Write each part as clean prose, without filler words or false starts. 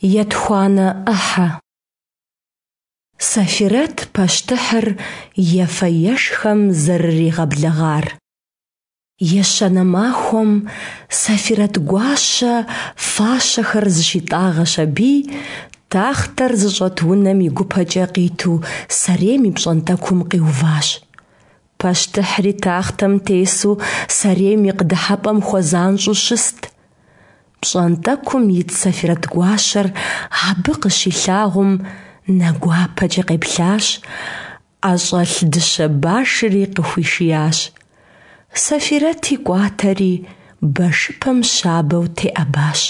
Етхуанэ ӏыхьэ. Сэфирэт пащтыхьыр ефэ-ешхэм зэрыригъэблэгъар. Ещанэ махуэм Сэфирэт гуащэ фащэхэр зыщитӏагъэщ аби, тахътэр зыщӏэт унэм и гупэкӏэ къиту сэрейм и пщӏантӏэкум къиуващ. Пащтыхьри тахътэм тесу сэрейм и къыдыхьэпӏэм хуэзанщӏэу щыст. Пщӏантӏэкум ит Сэфирэт гуащэр абы къыщилъагъум, нэ гуапэкӏэ къеплъащ, ӏэщӏэлъ дыщэ башри къыхуишиящ. Сэфирэти кӏуатэри, башыпэм щабэу теӏэбащ.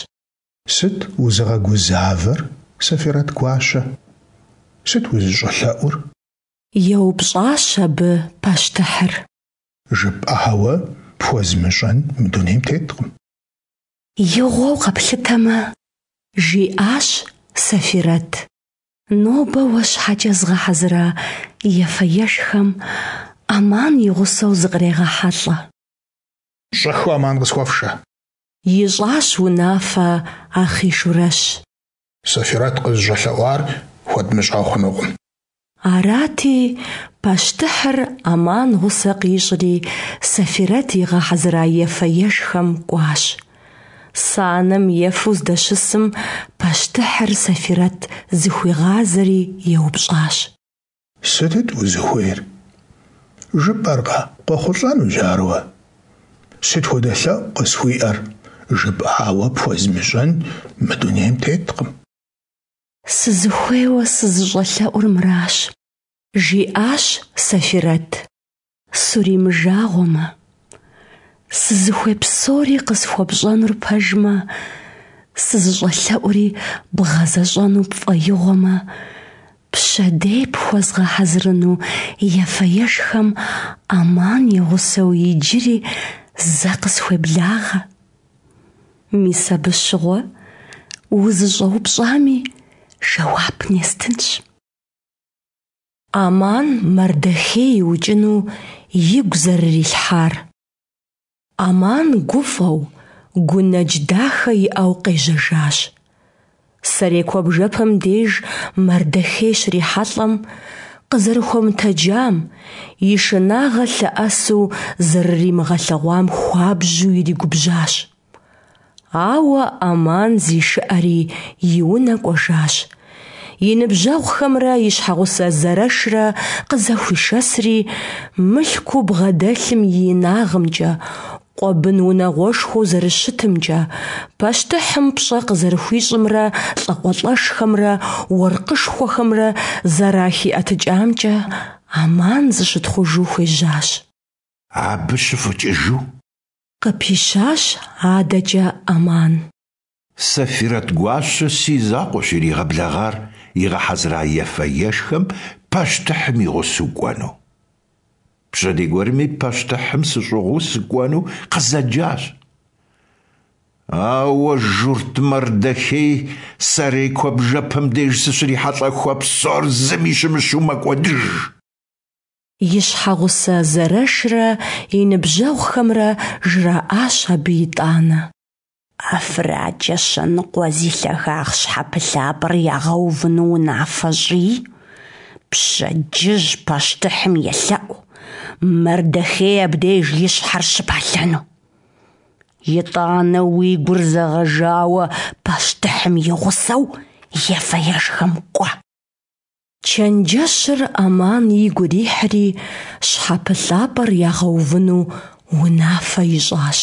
Сыт узыгъэгузавэр, Сэфирэт гуащэ? Сыт узыщӏэлъэӏур? Еупщӏащ абы пащтыхьыр. Жыпӏауэ пхуэзмыщӏэн мы дунейм теткъым. Игъуэу къэплъытэмэ, жиӏащ Сэфирэт, нобэ уэ щхьэкӏэ згъэхьэзыра ефэ-ешхэм Аман и гъусэу зыкърегъэхьэлӏэ. Щӏэхыу Аман къысхуэфшэ! Ищӏащ унафэ Ахъийшурэщ. Сэфирэт къызыщӏэлъэӏуар хуэдмыщӏэ хъунукъым. Арати, пащтыхьыр Аман гъусэ къищӏри, Сэфирэт игъэхьэзыра ефэ-ешхэм кӏуащ. Санэм ефэу здэщысым, пащтыхьыр Сэфирэт зыхуигъазэри еупщӏащ. Сытыт узыхуейр? Жыпӏэркъэ, къохъулӏэнущ ар уэ. Сыт хуэдэ лъэӏу къысхуиӏэр? Жыпӏауэ пхуэзмыщӏэн мы дунейм теткъым. Сызыхуейуэ сызыщӏэлъэӏур мыращ, жиӏащ Сэфирэт. Суримыжагъуэмэ, сызыхуей псори къысхуэпщӏэнур пэжмэ, сызыщӏэлъэӏури бгъэзэщӏэну пфӏэигъуэмэ, пщэдей пхуэзгъэхьэзырыну ефэ-ешхэм Аман и гъусэу иджыри зэ къысхуеблагъэ. Мис абы щыгъуэ узыщӏэупщӏами жэуап нестынщ. Аман Мардэхей иукӏыну игу зэрырилъхьар. Аман гуфӏэу, гунэдж дахэ иӏэу къежьэжащ. Сэрей куэбжэпэм деж Мардэхей щрихьэлӏэм, къызэрыхуэмытэджам, и шынагъэ лъэӏэсу зэрыримыгъэлъэгъуам хуабжьу иригубжьащ. Ауэ Аман зишыӏэри и унэ кӏуэжащ. И ныбжьэгъухэмрэ и щхьэгъусэ Зэрэшрэ къызэхуишэсри, мылъкуу бгъэдэлъым и инагъымкӏэ, къуэ бын унагъуэшхуэу зэрыщытымкӏэ, пащтыхьым пщӏэ къызэрыхуищӏымрэ лӏакъуэлӏэшхэмрэ уэркъышхуэхэмрэ зэрахиӏэтыкӏамкӏэ Аман зыщытхъужу хуежьащ. Абы щыфӏэкӏыжу? Къыпищащ адэкӏэ Аман. Сэфирэт гуащэ си закъуэщ иригъэблэгъар игъэхьэзыра ефэ-ешхэм пащтыхьым и гъусэу кӏуэну. Пщэдей гуэрми пащтыхьым сыщӏыгъуу сыкӏуэну къызэджащ. Ауэ журт Мардэхей сэрей куэбжэпэм деж сыщрихьэлӏэху а псор зыми щымыщу мэкӏуэдыж. И щхьэгъусэ Зэрэшрэ и ныбжьэгъухэмрэ жраӏащ абы итӏанэ. ӏэфракӏэ щэ ныкъуэ зи лъагагъ щхьэпылъапӏэр ягъэувыну унафэ щӏыи, пщэдджыжь пащтыхьым елъэӏу, Мардэхей абдеж и щхьэр щыпалъэну. Итӏанэ уи гур зэгъэжауэ пащтыхьым и гъусэу ефэ-ешхэм кӏуэ. Чэнджэщыр Аман игу ирихьри, щхьэпылъапӏэр ягъэувыну унафэ ищӏащ.